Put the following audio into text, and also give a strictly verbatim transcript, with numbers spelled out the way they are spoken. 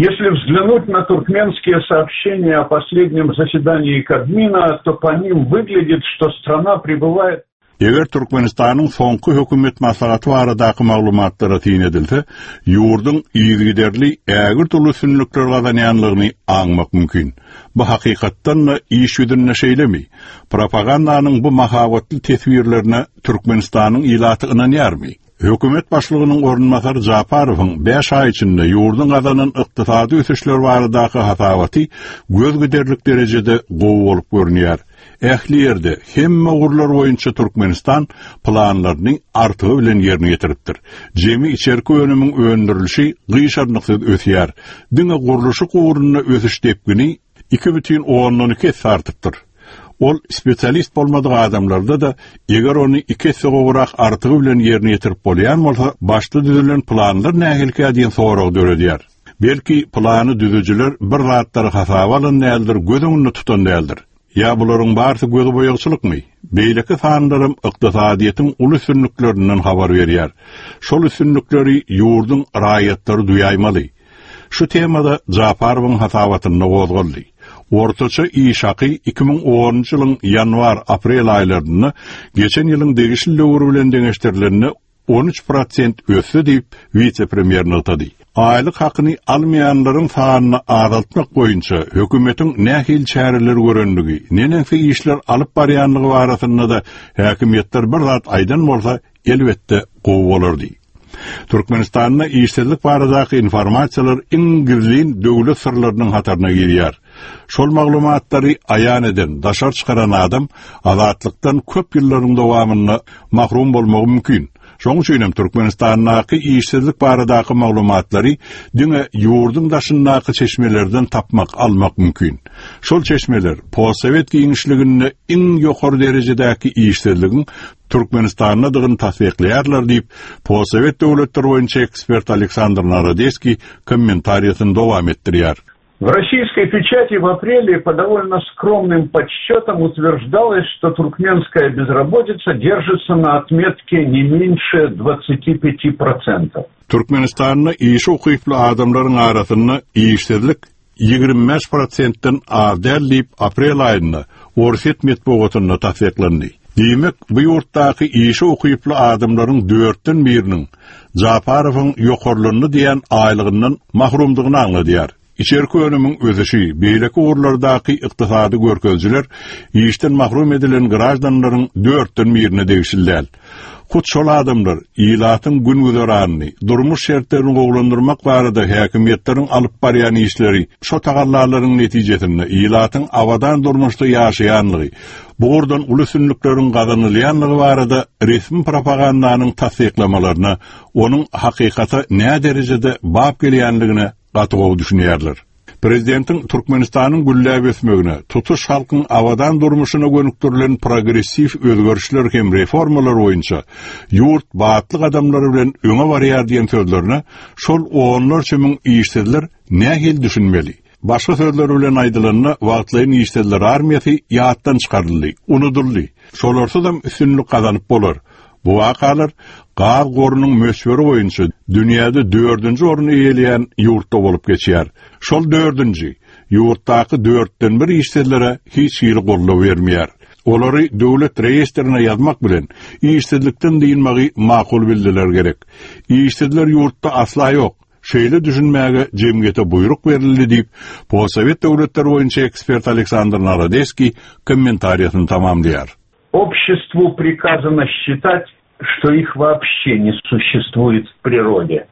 Если взглянуть на туркменские сообщения о последнем заседании Кабмина, то по ним выглядит, что страна пребывает Eger Türkmenistanyň soňky hökümet maslahaty baradaky maglumatlara syn edilse, ýurduň yzygiderli ägirt uly üstünlikler gazanýanlygyny aňmak mümkin. Bu hakykatdan-da iş ýüzünde şeýlemi? Propagandanyň bu mahabatly teswirlerine Türkmenistanyň ilaty ynanýarmy? Hökümet başlygynyň orunbasary Japarowyň bäş aý içinde ýurduň gazanan ykdysady ösüşler baradaky hasabaty göz giderlik derejede gowy bolup görünýär. Ähli ýerde hemme ugurlar boýunça Türkmenistan planlaryny artygy bilen ýerine ýetiripdir. Jemi içerki önümiň öndürilişi gyşarnyksyz ösýär. Diňe gurluşyk ugrunda ösüş depgini iki bütin ondan iki esse artypdyr. Ol spesialist bolmadyk adamlarda da eger ony iki esse gowrak artygy bilen ýerine ýetirip bolýan bolsa, başda düzülen planlar nähilikä diýen sorag döredýär. Belki plany düzüjiler bir zatlary hasaba alan däldir, göz öňünde tutan däldir. Ýa bularyň barysy göz boýagçylykmy? Beýleki sanlarym ykdysadyýetiň uly üstünliklerinden habar berýär. Şol üstünlikleri ýurduň raýatlary duýaýmaly. Şu temada Japarowyň hasabatynda gozgaldy. Ortaça iş haky iki müň onunjy ýylyň ýanwar-aprel aýlarynda geçen ýylyň degişli döwri bilen deňeşdirilende on üç prosent ösdi diýip wise-premýer nygtady. Aýlyk hakyny almaýanlaryň sanyny azaltmak boýunça hökümetiň nähili çäreler görendigi, neneňsi işler alyp barýanlygy barasynda da häkimiýetler bir zat aýdan bolsa, elbetde gowy bolardy. Türkmenistanda işsizlik baradaky informasiýalar iň gizlin döwlet syrlarynyň hataryna girýär. Şol maglumatlary aýan eden, daşary çykaran adam azatlykdan köp ýyllaryň dowamynda mahrum bolmagy mümkin. Şonuň üçin hem Türkmenistandaky işsizlik baradaky maglumatlary diňe ýurduň daşyndaky çeşmelerden tapmak, almak mümkin. Şol çeşmeler postsowet giňişliginde iň ýokary derejedäki işsizligiň Türkmenistandadygyny tassyklaýarlar diýip, postsowet döwletleri boýunça ekspert Aleksandr Narodeskiý kommentariýasyny dowam etdirýär. В российской печати в апреле по довольно скромным подсчетам утверждалось, что туркменская безработица держится на отметке не меньше двадцати пяти процентов. Türkmenistanda işe ukyply adamlaryň arasynda işsizlik ýigrimi bäş prosentden az däl diýip aprel aýynda Orsýet metbugatynda tassyklandy. Diýmek, bu ýurtdaky işe ukyply adamlaryň dörtden biriniň Japarowyň ýokarlandy diýen aýlygyndan mahrumdygyny aňladýar. Içerki önümiň ösüşi, beýleki ugurlardaky ykdysady görkezijiler işden mahrum edilen grajdanlaryň dörtden birine degişli däl. Hut şol adamlar ilatyň gün güzeranyny, durmuş şertlerini gowulandyrmak barada häkimiýetleriň alyp barýan işleri, şo tagallalaryň netijesinde ilatyň abadan durmuşda ýaşaýanlygy, bu ugurdan uly üstünlikleriň gazanylýanlygy barada resmi propagandanyň tassyklamalaryna, onuň hakykata nä derejede bap gelýänligine gaty gowy düşünýärler. Prezidentiň Türkmenistanyň gülläp ösmegine, tutuş halkyň abadan durmuşyna gönükdirilen progressiw özgerişler hem reformalar boýunça ýurt batly gadamlary bilen öňe barýar diýen sözlerine şol onlarça müň işsizler nähili düşünmeli? Başga sözler bilen aýdylanda, wagtlaýyn işsizler armiýasy ýatdan çykaryldy, unudyldy. Şolarsuzam üstünlik gazanyp bolar. Bu wakalar gaz gorunyň möçberi boýunça dünýäde dördünji orny eýeleýän ýurtda bolup geçýär. Şol dördünji ýurtdaky dörtden bir işsizlere hiç hili goldaw bermeýär. Olary döwlet reýestrine ýazmak bilen işsizlikden dynmagy makul bildiler gerek. Işsizler ýurtda asla ýok. Şeýle düşünmäge jemgyýete buýruk berildi diýip, postsowet döwletleri boýunça ekspert Aleksandr Narodeskiý kommentariýasyny tamamlaýar. Обществу приказано считать, что их вообще не существует в природе.